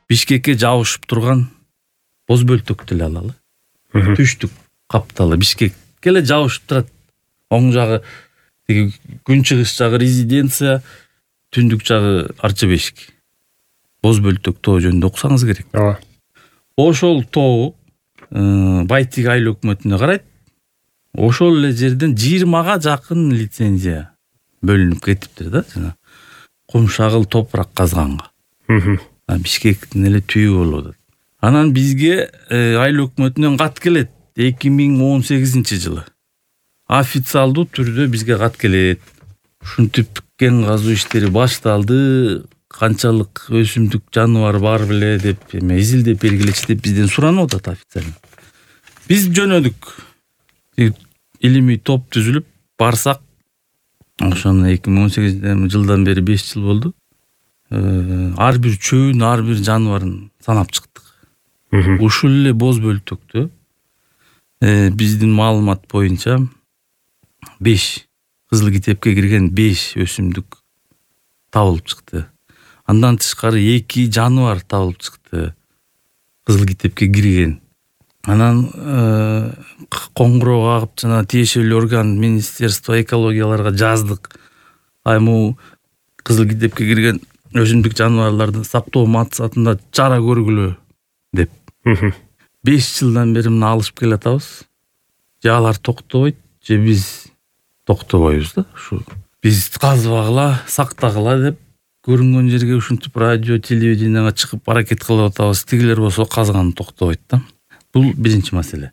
Бишкекке жабышып турган боз бөлтөктү эле алалы. Түштүк капталы Бишкекке эле жабышып турат. Оң жагы тиги күнчыгыш жагы резиденция, түндүк жагы Арча бешик. Боз бөлтөк тоо жөнүндө окусаңыз керек. Ооба. Ошол тоо Байтик айыл өкмөтүнө карайт. Ошол эле жерден 20га жакын лицензия бөлүнүп кетиптир да, жана кумшагыл топурак казганга. Бишкектин эле түбү болуп атат. Анан бизге айыл өкмөтүнөн кат келет 2018-жылы. Официалдуу түрдө бизге кат келет. Ушинтип кен казуу иштери башталды, канчалык өсүмдүк жаныбар бар беле деп изилдеп белгилечи деп бизден суранып атат официально. Биз жөнөдүк. Илимий топ түзүлүп барсак, ошону 2018-жылдан бери 5 жыл болду. Ар бир чөбүн, ар бир жаныбарын санап чыктык. Ушул эле боз бөлтөктө биздин маалымат боюнча 5 кызыл китепке кирген 5 өсүмдүк табылып чыкты. Андан тышкары 2 жаныбар табылып чыкты. Кызыл китепке кирген. Анан коңгуроо кагып жана тиешелүү орган Министерство экологияларга жаздык. Айму кызыл китепке кирген өсүмдүк жаныбарларды сактоо максатында чара көргүлө деп. 5 жылдан бери мына алышып келатабыз. Же алар токтобойт, же биз токтобойбуз да. Ушу биз казбагыла, сактагыла деп көрүнгөн жерге ушинтип радио, телевиденияга чыгып аракет кылып атабыз. Тигилер болсо казганы токтобойт да. Бул биринчи маселе.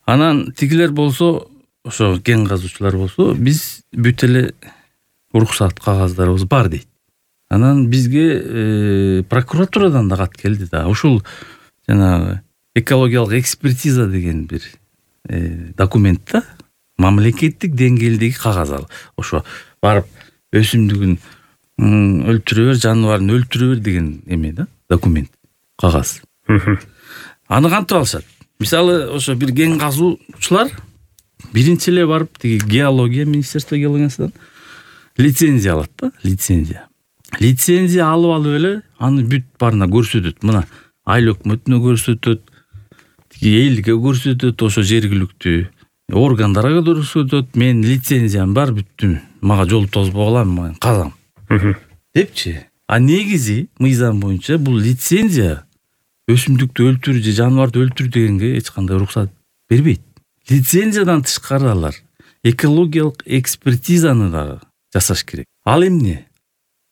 Анан тигилер болсо, ошо кен казуучулар болсо, биз бүт эле уруксат кагаздарыбыз бар дейт. Анан бизге прокуратурадан да кат келди да. Ушул жанагы экологиялык экспертиза деген бир документ да. Мамлекеттик деңгээлдеги кагаз ал. Ошо барып өсүмдүгүн өлтүрө бер, жаныбарын өлтүрө бер деген эме да, документ, кагаз. Аны кантип алышат? Мисалы, ошо бир кен казуучулар биринчи эле барып тиги геология, Министерство геологиясынан лицензия алат да, лицензия. Лицензия алып эле аны бүт барына көрсөтөт. Мына айыл өкмөтүнө көрсөтөт, тиги элге көрсөтөт, ошо жергиликтүү органдарга көрсөтөт. Мен лицензиям бар, бүттүм. Мага жол тозбогула, мен казам. Депчи. А негизи мыйзам боюнча бул лицензия өсүмдүктү өлтүр же жаныбарды өлтүр дегенге эч кандай уруксат бербейт. Лицензиядан тышкары алар экологиялык экспертизаны дагы жасаш керек. Ал эмне?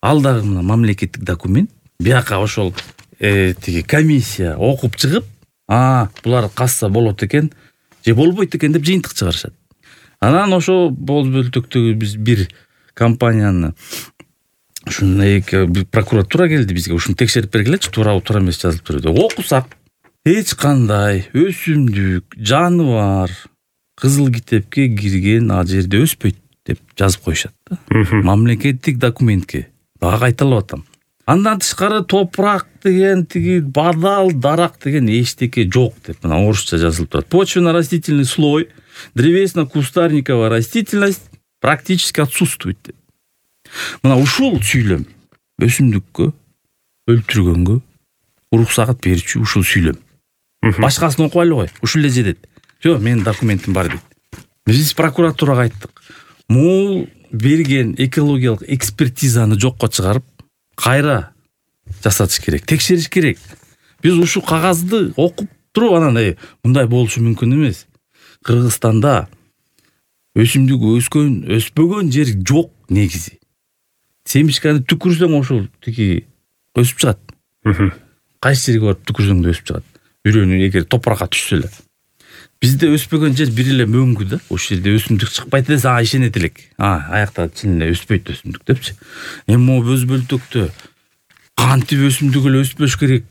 Ал дагы мына мамлекеттик документ. Бияка ошол тиги комиссия окуп чыгып, булар казса болот экен, же болбойт экен деп жыйынтык чыгарышат. Анан ошо боз бөлтөктөгү биз бир компанияны ушундай прокуратура келди бизге, ушуну текшерип бергилечи, туурабы, туура эмес жазылып турат. Окусак, эч кандай өсүмдүк, жаныбар кызыл китепке кирген а жерде өспөйт деп жазып коюшат да. Мамлекеттик документке дагы кайталап атам. Андан тышкары топурак деген, тиги бадал, дарак деген эчтеке жок деп мына орусча жазылып турат. Почвенно-растительный слой, древесно-кустарниковая растительность практически отсутствует деп. Мына ушул сүйлөм өсүмдүккө өлтүргөнгө уруксат берүүчү ушул сүйлөм. Башкасын окубайлы кой, ушул эле жетет. Жок, менин документим бар дейт. Биз прокуратурага айттык. Могул берген экологиялык экспертизаны жокко чыгарып, кайра жасатыш керек, текшериш керек. Биз ушул кагазды окуп туруп анан мындай болушу мүмкүн эмес. Кыргызстанда өсүмдүк өспөгөн жер жок негизи. Семишканы түкүрсөң ошол тиги өсүп чыгат. Кайсы жерге барып түкүрсөң да өсүп чыгат. Бирөөнү эгер топуракка түшсө эле. Бизде өспөгөн жер бир эле мөңгү да. Ошол жерде өсүмдүк чыкпайт десе, ишенет элек. Аякта чын эле өспөйт өсүмдүк депчи. Эми могу боз бөлтөктө кантип өсүмдүк эле өспөш керек?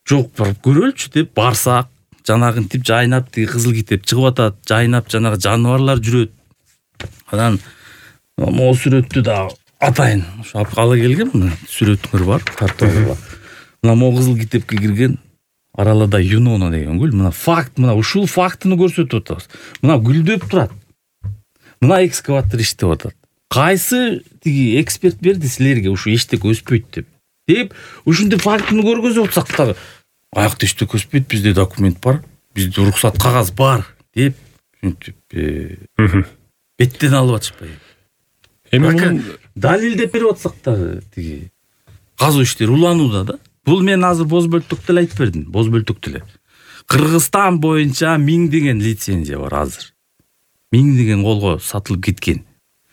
Жок, барып көрөлчү деп барсак, жанагынтип жайнап тиги кызыл китеп чыгып атат, жайнап жанагы жаныбарлар жүрөт. Анан могу сүрөттү да атайын. Ошо ала келгем, сүрөтүңөр бар, тартып. Мына могу кызыл китепке кирген Аралада Юнона деген гүл. Мына факт, мына ушул фактыны көрсөтүп атабыз. Мына гүлдөп турат. Мына экскаватор иштеп атат. Кайсы тиги эксперт берди силерге ушу эчтеке өспөйт деп? деп ушинтип фактыны көргөзүп атсак дагы аякта эчтеке өспөйт, бизде документ бар, бизде уруксат кагаз бар деп ушинтип беттен алып атышпайбы. Эми мунун далилдеп берип атсак дагы тиги казуу иштери уланууда да. Бул мен азыр боз бөлтөктө эле айтып бердим, боз бөлтөктө эле. Кыргызстан боюнча 1000 деген лицензия бар азыр. 1000 деген колго сатылып кеткен.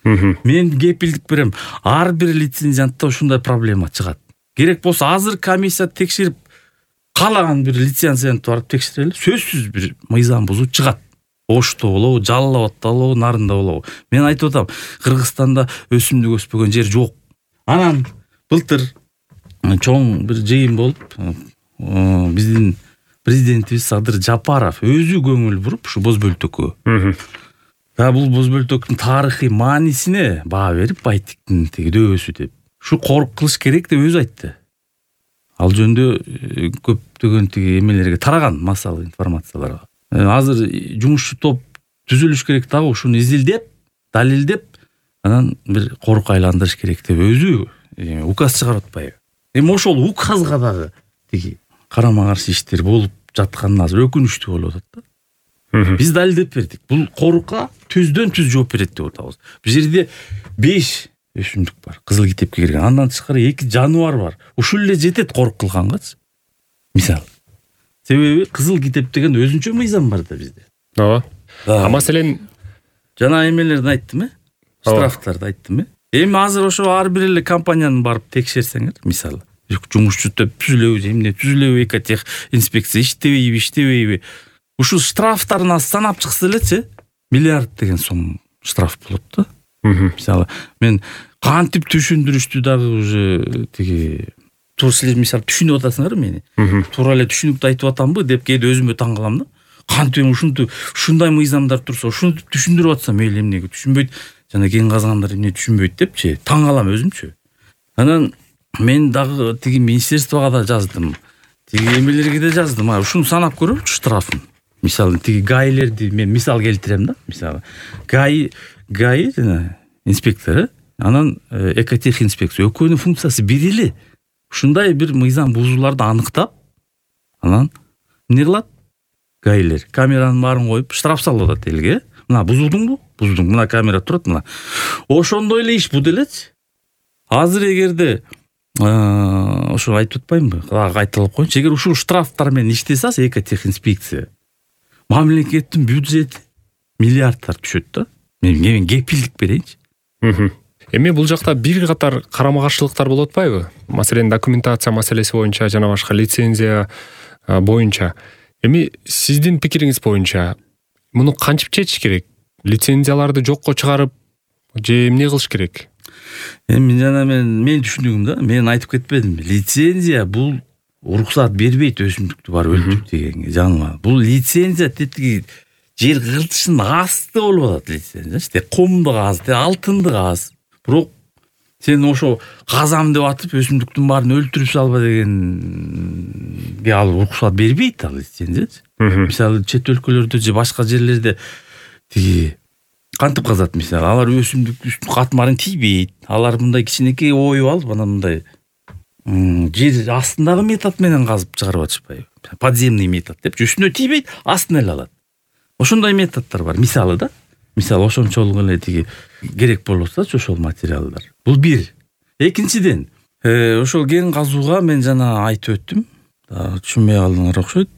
Мен кепилдик берем, ар бир лицензиянтта ушундай проблема чыгат. Керек болсо азыр комиссия текшерип каалаган бир лицензиянтты барып текшерели, сөзсүз бир мыйзам бузуу чыгат. Ошто болобу, Жалал Абадта болобу, Нарында болобу. Мен айтып атам, Кыргызстанда өсүмдүк өспөгөн жер жок. Анан былтыр чоң бир жыйын болуп, биздин президентибиз Садыр Жапаров өзү көңүл буруп ушу боз бөлтөккө. Бул боз бөлтөктүн тарыхый маанисине баа берип, байтиктин тиги дөбөсү деп. Ушу корук кылыш керек деп өзү айтты. Ал жөндө көптөгөн тиги эмелерге тараган массалык информацияларга. Азыр жумушчу топ түзүлүш керек дагы, ушуну изилдеп, далилдеп, анан бир корук айландырыш керек деп өзү указ чыгарып атпайбы. Эми ошол указга дагы тиги карама каршы иштер болуп жатканы азыр өкүнүчтүү болуп атат да. Биз далилдеп бердик. Бул корукка түздөн түз жооп берет деп атабыз. Бул жерде 5 өсүмдүк бар, кызыл китепке кирген. Андан тышкары 2 жаныбар бар. Ушул эле жетет корук кылгангачы. Мисалы. Себеби кызыл китеп деген өзүнчө мыйзам бар да бизде. Ооба. Маселен жана эмелерди айттым, штрафтарды айттым. Эми азыр ошо ар бир эле компанияны барып текшерсеңер, мисалы, жумушчу топ түзүлөбү, эмне түзүлөбү, экотех инспекция иштебейби. Ушул штрафтарын санап чыкса элечи, миллиард деген сом штраф болот да. Мисалы, мен кантип түшүндүрүштү дагы уже тиги силер мисалы түшүнүп атасыңар мени. Туура эле түшүнүктүү айтып атамбы деп кээде өзүмө таң калам да. Кантип ушундай мыйзамдар турса, ушуну түшүндүрүп атсам, мейли эмнеге түшүнбөйт, жана кен казгандар эмне түшүнбөйт депчи, таң калам өзүмчү. Анан мен дагы тиги министерствого да жаздым. Тиги эмелерге да жаздым. Ушуну санап көрөлчү штрафын. Мисалы, тиги гаилерди мен мисал келтирем да. Мисалы, гаи жана инспектору, анан экотех инспекция экөөнүн функциясы бир эле. Ушундай бир мыйзам бузууларды аныктап, анан эмне кылат? Гаилер камеранын баарын коюп штраф салып атат элге. Мына бузулдуңбу? Буздуң. Мына камера турат, мына. Ошондой эле иш бу делечи. Азыр эгерде ошо айтып атпаймынбы? Кайталап коеюнчу. Эгер ушул штрафтар менен иштесе, экотех инспекция, мамлекеттин бюджети миллиардтар түшөт да. Мен кепилдик берейинчи. Эми бул жакта бир катар карама каршылыктар болуп атпайбы? Маселен, документация маселеси боюнча жана башка лицензия боюнча. Эми сиздин пикириңиз боюнча муну кантип чечиш керек? Лицензияларды жокко чыгарып же эмне кылыш керек? Эми жана мен түшүндүгүм да, мен айтып кетпедимби? Лицензия бул уруксат бербейт өсүмдүктү бар өлтүрүп дегенге, жаныма. Бул лицензия тетиги жер кыртышынын асты болуп атат лицензия. Комду каз, алтынды каз. Бирок сен ошо казам деп атып өсүмдүктүн баарын өлтүрүп салба дегенге ал уруксат бербейт ал лицензия. Мисалы, чет өлкөлөрдө же башка жерлерде тиги кантип казат, мисалы, алар өсүмдүк катмарын тийбейт. Алар мындай кичинекей оюп алып, анан мындай жер астындагы метод менен казып чыгарып атышпайбы? Подземный метод деп, үстүнө тийбейт, астын эле алат. Ошондой методдор бар, мисалы да. Мисалы, ошончолук эле тиги керек болсо ошол материалдар. Бул бир. Экинчиден, ошол кен казууга мен жана айтып өттүм. Түшүнбөй калдыңар окшойт.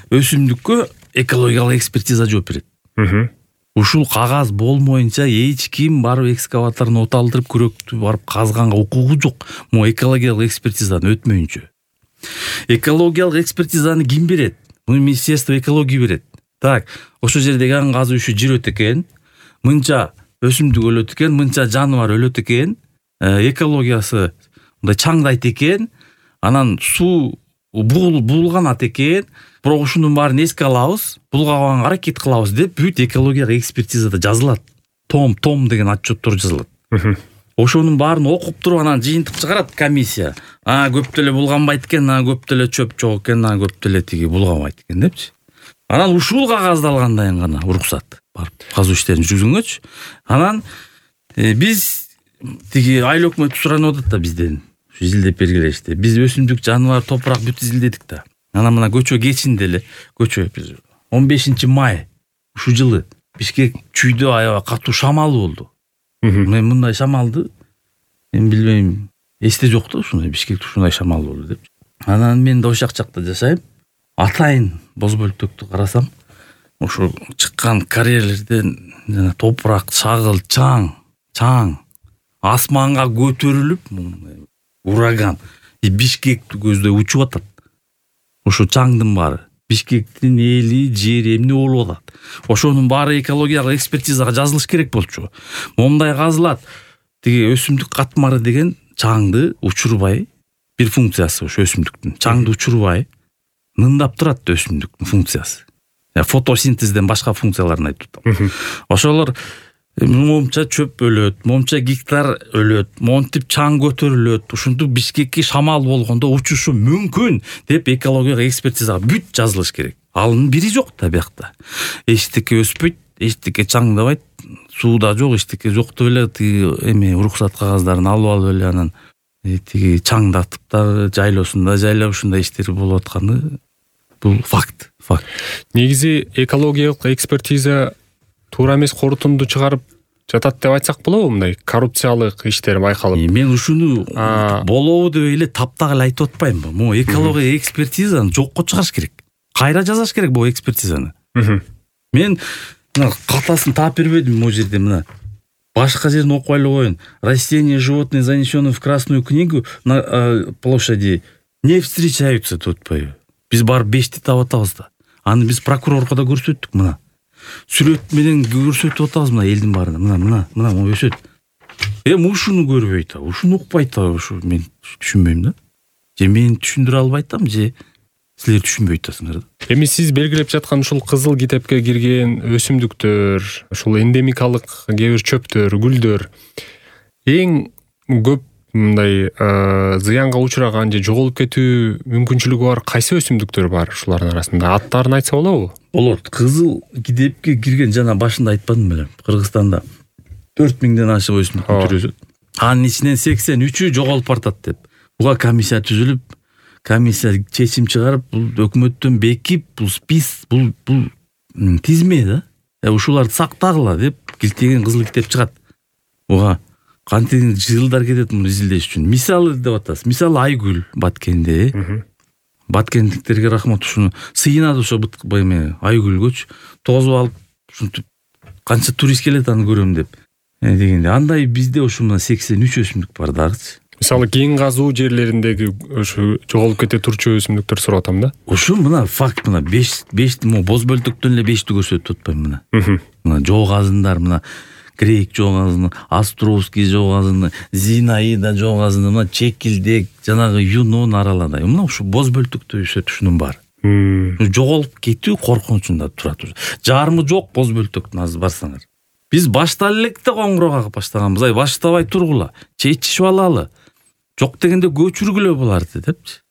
Өсүмдүккө экологиялык экспертиза жооп берет. Ушул кагаз болмоюнча эч ким барып экскаваторун оталдырып күрөктү барып казганга укугу жок. Мо экологиялык экспертизаны өтмөйүнчө. Экологиялык экспертизаны ким берет? Муну Министерство экологии берет. Так, ошол жерде кен казуу иши жүрөт экен. Мынча өсүмдүк өлөт экен, мынча жаныбар өлөт экен. Экологиясы мындай чаңдайт экен. Анан суу булганат экен. Бирок ушунун баарын эске алабыз, булгабаганга аракет кылабыз деп бүт экологиялык экспертизада жазылат. Том деген отчеттор жазылат. Ошонун баарын окуп туруп анан жыйынтык чыгарат комиссия. Көп деле булганбайт экен, көп деле чөп жок экен, көп деле тиги булганбайт экен депчи. Анан ушул кагаздаалгандан кийин гана уруксат барып казуу иштерин жүргүзгөнгөчү. Анан биз тиги айыл өкмөтү суранып атат да бизден. изилдеп бергилешти. Биз өсүмдүк, жаныбар, топурак бүт изилдедик да. Анан мына көчө кечинде эле, көчө 15 май ушул жылы Бишкек чүйдө аябай катуу шамал болду. Мен мындай шамалды мен билбейм, эсте жок да ушундай Бишкекте ушундай шамал болду деп. Анан мен да ошол жакта жашайм. Атайын боз бөлтөктү карасам, ошо чыккан карьерлерден жана топурак, чагыл, чаң асманга көтөрүлүп, ураган Бишкекти көздөй учуп атат. Ошо чаңдын баары Бишкектин эли, жери эмне болуп атат. Ошонун баары экологиялык экспертизага жазылыш керек болчу. Момундай казылат. Тиги өсүмдүк катмары деген чаңды учурбай, бир функциясы ошо өсүмдүктүн. Чаңды учурбай нындап турат өсүмдүктүн функциясы. Фотосинтезден башка функцияларын айтып атам. Ошолор момча чөп өлөт, момча гектар өлөт, монтип чаң көтөрүлөт. Ушунтип Бишкекке шамал болгондо учушу мүмкүн деп экологиялык экспертизага бүт жазылыш керек. Алынын бири жок да биякта. Эчтеке өспөйт, эчтеке чаңдабайт, сууда жок, эчтеке жок деп эле тиги уруксат кагаздарын алып эле анан тиги чаңдатып да жайлоосунда жайлап ушундай иштер болуп атканы бул факт. Негизи экологиялык экспертиза туура эмес корутунду чыгарып жатат деп айтсак болобу? Мындай коррупциялык иштер байкалып. Мен ушуну болобу деп эле таптак эле айтып атпайм. Могу экология экспертизаны жокко чыгарыш керек. Кайра жазаш керек бул экспертизаны. Мен мына катасын таап бербедим могу жерде, мына башка жерин окуп эле коеюн. Растения, животные занесены в Красную книгу на площади не встречаются деп атпайбы. Биз барып 5ти таап атабыз да. Аны биз прокурорго да көрсөттүк мына. Сүрөт менен көрсөтүп атабыз мына элдин баарына. Мына өсөт. Ушуну көрбөйт, ушуну укпайт, ушу мен түшүнбөйм да. Же мен түшүндүрө албайтам, же силер түшүнбөй атасыңар да. Эми сиз белгилеп жаткан ушул кызыл китепке кирген өсүмдүктөр, ушул эндемикалык кээ бир чөптөр, гүлдөр эң көп мындай зыянга учураган же жоголуп кетүү мүмкүнчүлүгү бар кайсы өсүмдүктөр бар ушулардын арасында? Аттарын айтса болобу? Болот. Кызыл китепке кирген жана башында айтпадым беле. Кыргызстанда 4000ден ашык өсүмдүктүн түрү өсөт. Анын ичинен 83-ү жоголуп бартат деп. Буга комиссия түзүлүп, комиссия чечим чыгарып, бул өкмөттөн бекип, бул спис, бул тизме да. Ушуларды сактагыла деп килтеген кызыл китеп чыгат. Буга кантип жылдар кетет муну изилдеш үчүн. Мисалы деп атасыз. Мисалы айгүл Баткенде. Баткендиктерге рахмат, ушуну сыйынады ошо айгүлгөчү тозуп алып, ушинтип канча турист келет аны көрөм деп дегенде. Андай бизде ошо мына 83 өсүмдүк бар дагычы. Мисалы кийин казуу жерлериндеги ошо жоголуп кете турчу өсүмдүктөр сурап атам да. Ушу мына факт, мына 5 боз бөлтөктөн эле 5ти көрсөтүп атпайм мына. Мына жок азындар, мына Грек жок азыны, Островский жок азыны, Зинаида жок азыны, мына Чекилдек, жанагы Юнон аралады. Мына ушу боз бөлтөктө өсөт ушунун баары. Жоголуп кетүү коркунучунда турат. Жарымы жок боз бөлтөктүн азыр барсаңар. Биз башта электе коңгуроо кагып баштаганбыз. Баштабай тургула, чечишип алалы. Жок дегенде көчүргүлө буларды депчи.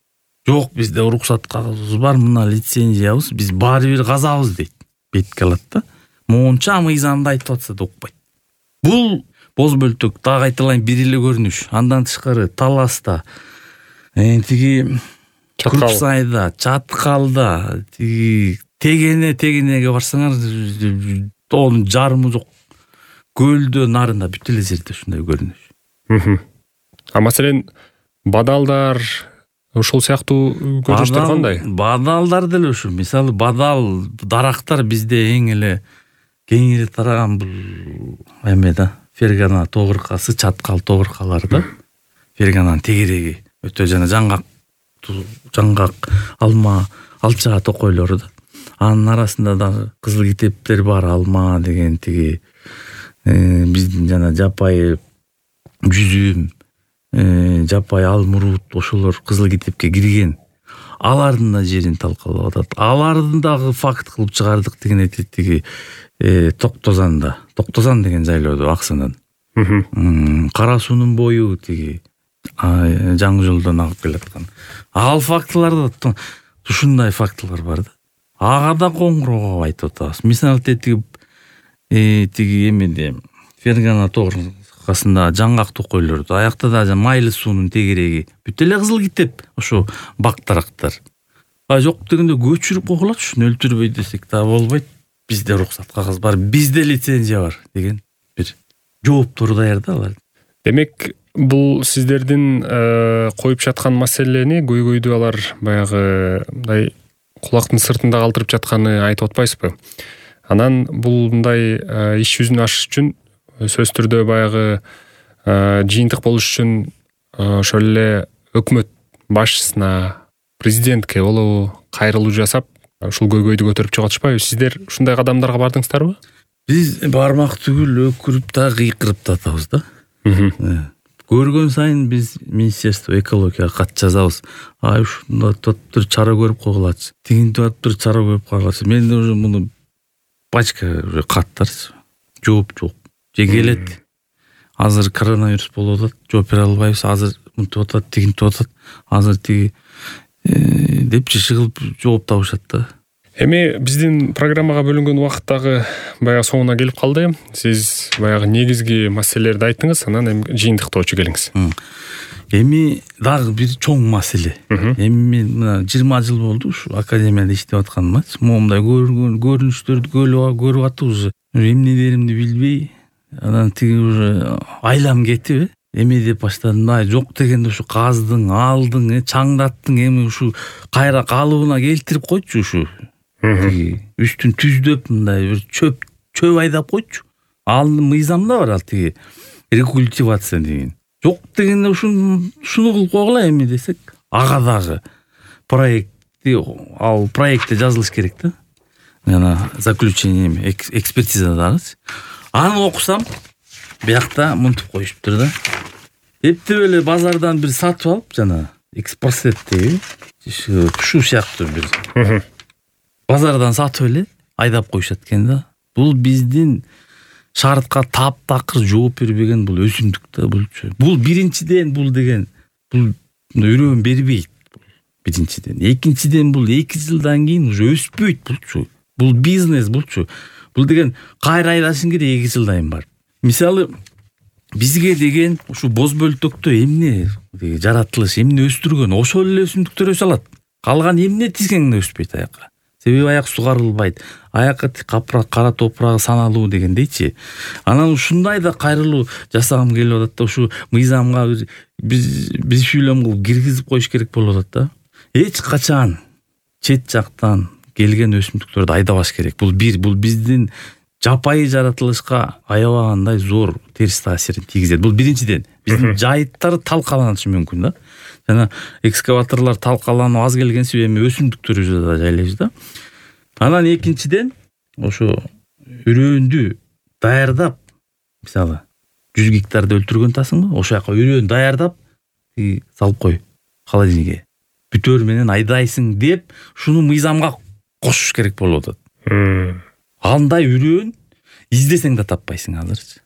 Жок, бизде уруксат кагыбыз бар, мына лицензиябыз, биз баары бир казабыз дейт. Бетке алат да. Монча мыйзамда айтып атса да укпайт. Бул боз бөлтөк дагы айтылайын бир эле көрүнүш. Андан тышкары Таласта, тиги Курсайда, Чаткалда, тиги Тегенеге барсаңар, тоонун жарымы жок. Көлдө, нарында бүт эле жерде ушундай көрүнүш. Маселен, бадалдар ушул сыяктуу көрүнүштөр кандай? Бадалдар деле ушу. Мисалы, бадал дарактар бизде эң эле кеңири тараган бул да, Фергана тогуркасы, Чаткал тогуркалары да. Фергананын тегереги өтө жана жаңгак, алма, алча токойлору да. Анын арасында дагы кызыл китептер бар, алма деген тиги биздин жана жапай жүзүм, жапай алмурут, ошолор кызыл китепке кирген. Алардын да жерин талкалап атат. Алардын дагы факт кылып чыгардык деген айтат тиги Токтозан деген жайлоодо Аксынан. Кара суунун бою тиги жаңы жолдон агып келаткан. Ал фактыларда ушундай фактылар бар да. Ага да коңгуроо айтып атабыз. Мисалы тиги эмеде Фергана аркасында жаңгак токойлорду, аякта да майлы суунун тегереги, бүт эле кызыл китеп ошо бактарактар. Жок дегенде көчүрүп койгулачы, ушуну өлтүрбөй десек да болбойт. Бизде уруксат кагаз бар, бизде лицензия бар деген бир жооптор даяр да алар. Демек, бул сиздердин коюп жаткан маселени көйгөйдү алар баягы мындай кулактын сыртында калтырып жатканы айтып атпайсызбы? Анан бул мындай иш жүзүнө ашыш үчүн сөзсүз түрдө баягы жыйынтык болуш үчүн ошол эле өкмөт башчысына, президентке болобу кайрылуу жасап, ушул көйгөйдү көтөрүп чыгып атышпайбы? Сиздер ушундай кадамдарга бардыңыздарбы? Биз бармак түгүл өкүрүп да кыйкырып да атабыз да. Көргөн сайын биз Министерство экологияга кат жазабыз. Ушундай топтор чара көрүп койгулачы. Тигинтип атыптыр, чара көрүп койгулачы. Менде уже муну пачка уже каттар. Жооп жок. Же келет. Азыр коронавирус болуп атат, жооп бере албайбыз. Азыр мынтип атат, тигинтип атат. Азыр тиги деп чыгып жооп табышат да. Эми биздин программага бөлүнгөн убакыт дагы баягы соңуна келип калды. Сиз баягы негизги маселелерди айттыңыз, анан эми жыйынтыктоочу келиңиз. Эми дагы бир чоң маселе. Эми мен мына 20 жыл болду ушу академияда иштеп атканыма. Момундай көрүнүштөрдү көрүп атып уже эмне деримди билбей, анан тиги уже айлам кетип, эме деп баштадым. Жок дегенде ушу каздың, алдың, чаңдаттың, эми ушу кайра калыбына келтирип койчу ушу. Үстүн түздөп мындай бир чөп айдап койчу. Алдын мыйзамда бар ал тиги рекультивация деген. Жок дегенде шуну кылып койгула эми десек, ага дагы проектте жазылыш керек да. Жана заключение экспертиза дагы. Аны окусам, биякта мынтип коюшуптур да. Эптеп эле базардан бир сатып алып, жана экспорт деги ушу сыяктуу бир базардан сатып эле айдап коюшат экен да. Бул биздин шартка таптакыр жооп бербеген бул өсүмдүк да булчу. Бул биринчиден бул деген бул үйрөн бербейт. Биринчиден. Экинчиден бул 2 жылдан кийин уже өспөйт булчу. Бул бизнес булчу. Бул деген кайра айдашың керек 2 жылдан бар. Мисалы бизге деген ушу боз бөлтөктө эмне жаратылыш, эмне өстүргөн, ошол эле өсүмдүктөр өсө алат. Калган эмне тизгеңде өспөйт аякка. Себеби аяк сугарылбайт. Аякка капрак, кара топурагы саналуу дегендейчи. Анан ушундай да кайрылуу жасагым келип атат да, ушу мыйзамга биз шүйлөм кылып киргизип коюш керек болуп атат да. Эч качан чет жактан келген өсүмдүктөрдү айдабаш керек. Бул биздин жапайы жаратылышка аябагандай зор терс таасирин тийгизет. Бул биринчиден. Биздин жайыттар талкаланышы мүмкүн да. Жана экскаваторлор талкаланып аз келгенси эми өсүмдүктөрүбүздү да жайлайбыз да. Анан экинчиден ошо үрөөндү даярдап, мисалы 100 гектарды өлтүргөн тасыңбы? Ошо жака үрөөнү даярдап салып кой холодильникке. Бүтөр менен айдайсың деп, шуну мыйзамга кошуш керек болуп атат. Андай үрөөн издесең да таппайсың азырчы.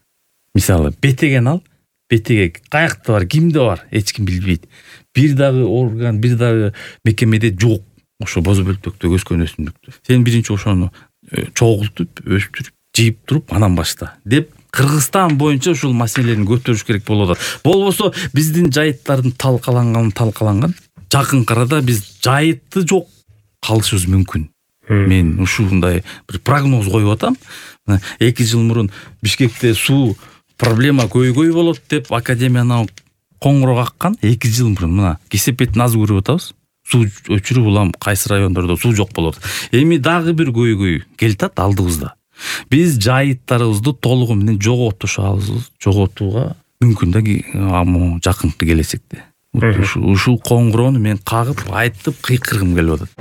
Мисалы бетеген ал, бетеге каякта бар, кимде бар, эч ким билбейт. Бир дагы орган, бир дагы мекемеде жок. Ошо боз бөлтөктө өскөн өсүмдүктү. Сен биринчи ошону чогултуп, өстүрүп, жыйып туруп, анан башта деп Кыргызстан боюнча ушул маселени көтөрүш керек болуп атат. Болбосо биздин жайыттардын талкаланган. Жакынкы арада биз жайытты жок калышыбыз мүмкүн. Мен ушундай бир прогноз коюп атам. 2 жыл мурун Бишкекте суу проблема көйгөй болот деп академиядан коңгуроо каккан. 2 жыл мурун мына кесепеттин аз көрүп атабыз. Суу өчүрүп улам кайсы райондордо суу жок болот. Эми дагы бир көйгөй келтат алдыбызда. Биз жайыттарыбызды толугу менен жоготууга мүмкүн да жакынкы келечекте. Ушул коңгуроону мен кагып, айтып, кыйкыргым келип атат.